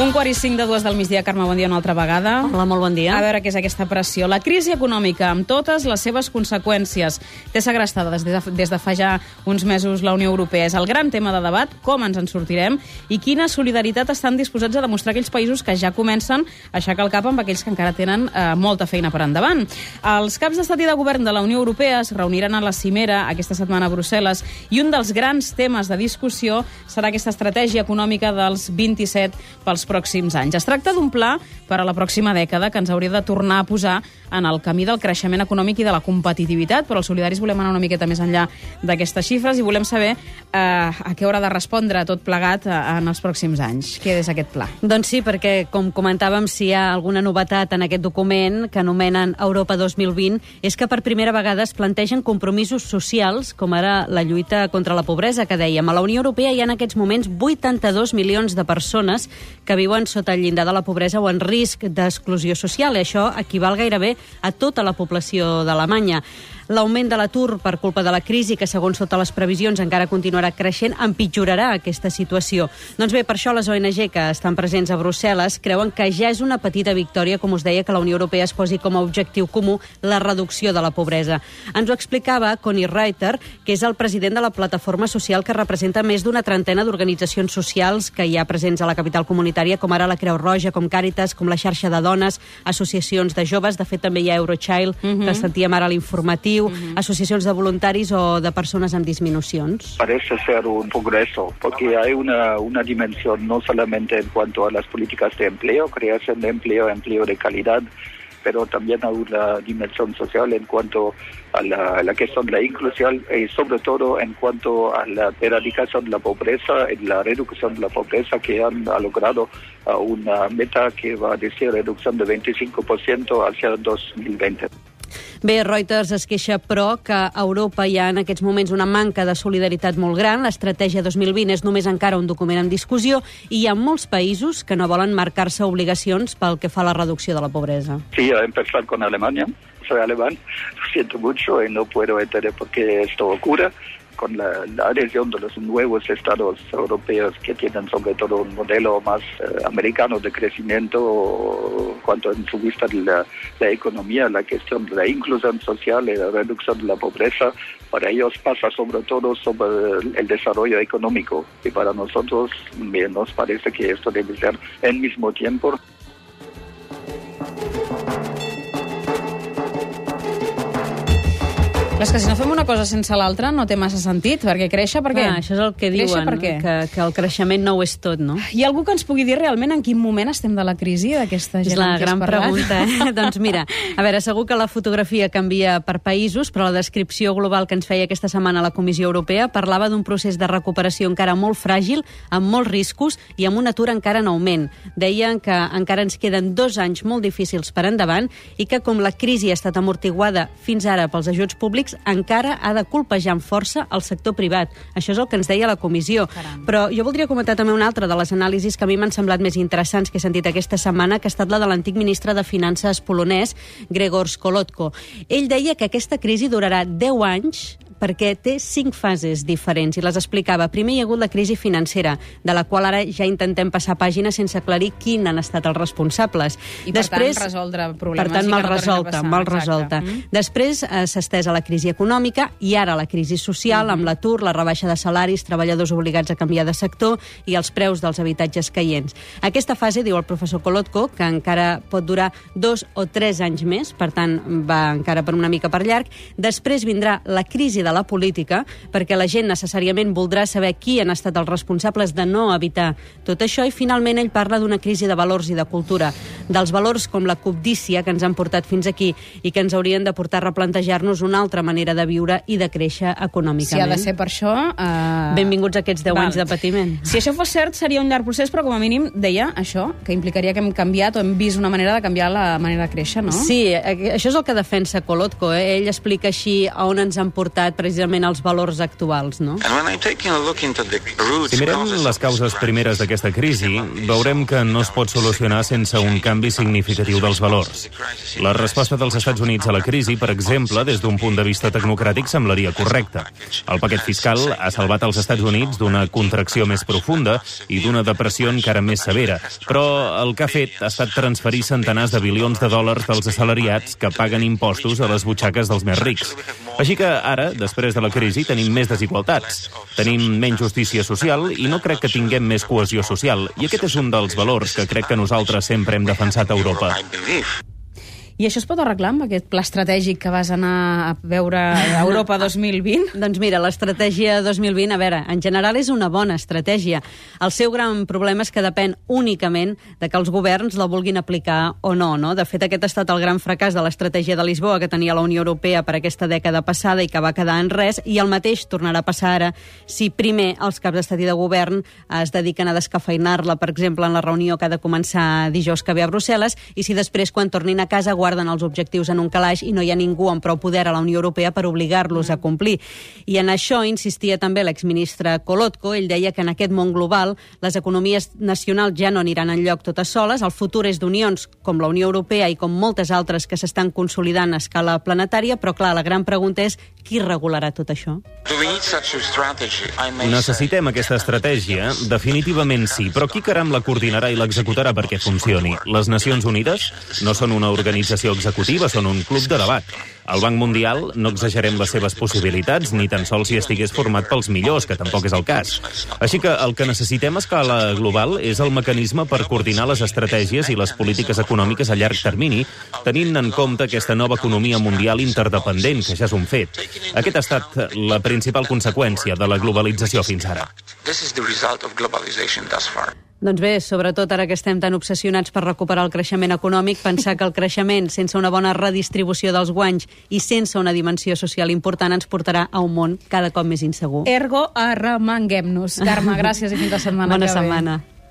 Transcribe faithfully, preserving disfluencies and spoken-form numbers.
Un quart i cinc de dues del migdia. Carme, bon dia una altra vegada. Hola, molt bon dia. A veure què és aquesta pressió. La crisi econòmica, amb totes les seves conseqüències, té segrestada des de, des de fa ja uns mesos la Unió Europea. És el gran tema de debat, com ens en sortirem i quina solidaritat estan disposats a demostrar aquells països que ja comencen a aixecar el cap amb aquells que encara tenen eh, molta feina per endavant. Els caps d'estat i de govern de la Unió Europea es reuniran a la cimera aquesta setmana a Brussel·les i un dels grans temes de discussió serà aquesta estratègia econòmica dels vint-i-set pels pròxims anys. Es tracta d'un pla per a la pròxima dècada que ens hauria de tornar a posar en el camí del creixement econòmic i de la competitivitat, però els solidaris volem anar una miqueta més enllà d'aquestes xifres i volem saber eh, a què haurà de respondre tot plegat en els pròxims anys. Què és aquest pla? Doncs sí, perquè, com comentàvem, si hi ha alguna novetat en aquest document que anomenen Europa dos mil vint, és que per primera vegada es plantegen compromisos socials, com ara la lluita contra la pobresa, que dèiem. A la Unió Europea hi ha en aquests moments vuitanta-dos milions de persones que viuen sota el llindar de la pobresa o en risc d'exclusió social. I això equival gairebé a tota la població d'Alemanya. L'augment de l'atur per culpa de la crisi, que segons totes les previsions encara continuarà creixent, empitjorarà aquesta situació. Doncs bé, per això les O N G que estan presents a Brussel·les creuen que ja és una petita victòria, com us deia, que la Unió Europea es posi com a objectiu comú la reducció de la pobresa. Ens ho explicava Conny Reuter, que és el president de la plataforma social que representa més d'una trentena d'organitzacions socials que hi ha presents a la capital comunitària, com ara la Creu Roja, com Càritas, com la xarxa de dones, associacions de joves, de fet també hi ha Eurochild, uh-huh. que sentíem ara a l'informatiu, Uh-huh. asociacions de voluntaris o de persones amb disminucions. Parece ser un progreso, porque hay una, una dimensión no solamente en cuanto a las políticas de empleo, creación de empleo, empleo de calidad, pero también hay una dimensión social en cuanto a la, a la cuestión de la inclusión y sobre todo en cuanto a la erradicación de la pobreza y la reducción de la pobreza, que han ha logrado uh, una meta que va a decir reducción de veinticinco por ciento hacia dos mil veinte. Bé, Reuters es queixa, però, que a Europa hi ha en aquests moments una manca de solidaritat molt gran. L'estratègia dos mil vint és només encara un document en discussió i hi ha molts països que no volen marcar-se obligacions pel que fa a la reducció de la pobresa. Sí, a empezar con Alemania. Soy alemán, lo siento mucho y no puedo entender por qué esto ocurre. Con la, la adhesión de los nuevos estados europeos que tienen sobre todo un modelo más eh, americano de crecimiento, cuanto en su vista de la, la economía, la cuestión de la inclusión social y la reducción de la pobreza, para ellos pasa sobre todo sobre el, el desarrollo económico. Y para nosotros bien, nos parece que esto debe ser al mismo tiempo. És que si no fem una cosa sense l'altra no té massa sentit, perquè créixer per què? Ah, això és el que diuen, per què? Que, que el creixement no ho és tot, no? Hi ha algú que ens pugui dir realment en quin moment estem de la crisi d'aquesta gent és la amb qui gran has parlat? pregunta, eh? Doncs mira, a veure, segur que la fotografia canvia per països, però la descripció global que ens feia aquesta setmana la Comissió Europea parlava d'un procés de recuperació encara molt fràgil, amb molts riscos i amb un atur encara en augment. Deien que encara ens queden dos anys molt difícils per endavant i que com la crisi ha estat amortiguada fins ara pels ajuts públics, encara ha de colpejar amb força el sector privat. Això és el que ens deia la comissió. Caram. Però jo voldria comentar també una altra de les anàlisis que a mi m'han semblat més interessants que he sentit aquesta setmana, que ha estat la de l'antic ministre de Finances polonès, Grzegorz Kolotko. Ell deia que aquesta crisi durarà deu anys perquè té cinc fases diferents i les explicava. Primer hi ha hagut la crisi financera, de la qual ara ja intentem passar pàgina sense aclarir quin han estat els responsables. I per Després, tant resoldre problemes. Per tant, mal resolta, mal Exacte. resolta. Mm. Després eh, s'ha estès a la crisi econòmica i ara la crisi social, mm-hmm. amb l'atur, la rebaixa de salaris, treballadors obligats a canviar de sector i els preus dels habitatges caients. Aquesta fase, diu el professor Kolotko, que encara pot durar dos o tres anys més, per tant, va encara per una mica per llarg. Després vindrà la crisi de la política, perquè la gent necessàriament voldrà saber qui han estat els responsables de no evitar tot això, i finalment ell parla d'una crisi de valors i de cultura, dels valors com la cobdícia que ens han portat fins aquí i que ens haurien de portar a replantejar-nos una altra manera de viure i de créixer econòmicament. Si ha de ser per això... Uh... Benvinguts aquests deu Val. anys de patiment. Si això fos cert, seria un llarg procés, però com a mínim deia això, que implicaria que hem canviat o hem vist una manera de canviar la manera de créixer, no? Sí, això és el que defensa Kolotko. Eh? Ell explica així on ens han portat. precisament els valors actuals, no? Si mirem les causes primeres d'aquesta crisi, veurem que no es pot solucionar sense un canvi significatiu dels valors. La resposta dels Estats Units a la crisi, per exemple, des d'un punt de vista tecnocràtic, semblaria correcta. El paquet fiscal ha salvat els Estats Units d'una contracció més profunda i d'una depressió encara més severa, però el que ha fet ha estat transferir centenars de bilions de dòlars dels assalariats que paguen impostos a les butxaques dels més rics. Així que ara, després de la crisi, tenim més desigualtats, tenim menys justícia social i no crec que tinguem més cohesió social. I aquest és un dels valors que crec que nosaltres sempre hem defensat a Europa. I això es pot arreglar amb aquest pla estratègic que vas anar a veure a Europa dos mil vint? Doncs mira, l'estratègia dos mil vint, a veure, en general és una bona estratègia. El seu gran problema és que depèn únicament de que els governs la vulguin aplicar o no, no? De fet, aquest ha estat el gran fracàs de l'estratègia de Lisboa que tenia la Unió Europea per aquesta dècada passada i que va quedar en res, i el mateix tornarà a passar ara si primer els caps d'estat i de govern es dediquen a descafeinar-la, per exemple, en la reunió que ha de començar dijous que ve a Brussel·les, i si després, quan tornin a casa, guarden els objectius en un calaix i no hi ha ningú amb prou poder a la Unió Europea per obligar-los a complir. I en això insistia també l'exministre Kolotko. Ell deia que en aquest món global les economies nacionals ja no aniran enlloc totes soles. El futur és d'unions com la Unió Europea i com moltes altres que s'estan consolidant a escala planetària, però clar, la gran pregunta és qui regularà tot això? Necessitem aquesta estratègia? Definitivament sí, però qui caram la coordinarà i l'executarà perquè funcioni? Les Nacions Unides no són una organització executiva, són un club de debat. El Banc Mundial no exagerem les seves possibilitats, ni tan sols si estigués format pels millors, que tampoc és el cas. Així que el que necessitem a escala global és el mecanisme per coordinar les estratègies i les polítiques econòmiques a llarg termini, tenint en compte aquesta nova economia mundial interdependent, que ja és un fet. Aquesta ha estat la principal conseqüència de la globalització fins ara. Doncs bé, sobretot ara que estem tan obsessionats per recuperar el creixement econòmic, pensar que el creixement sense una bona redistribució dels guanys i sense una dimensió social important ens portarà a un món cada cop més insegur. Ergo, arremanguem-nos. Carme, gràcies i fins la setmana Bona que ve. setmana.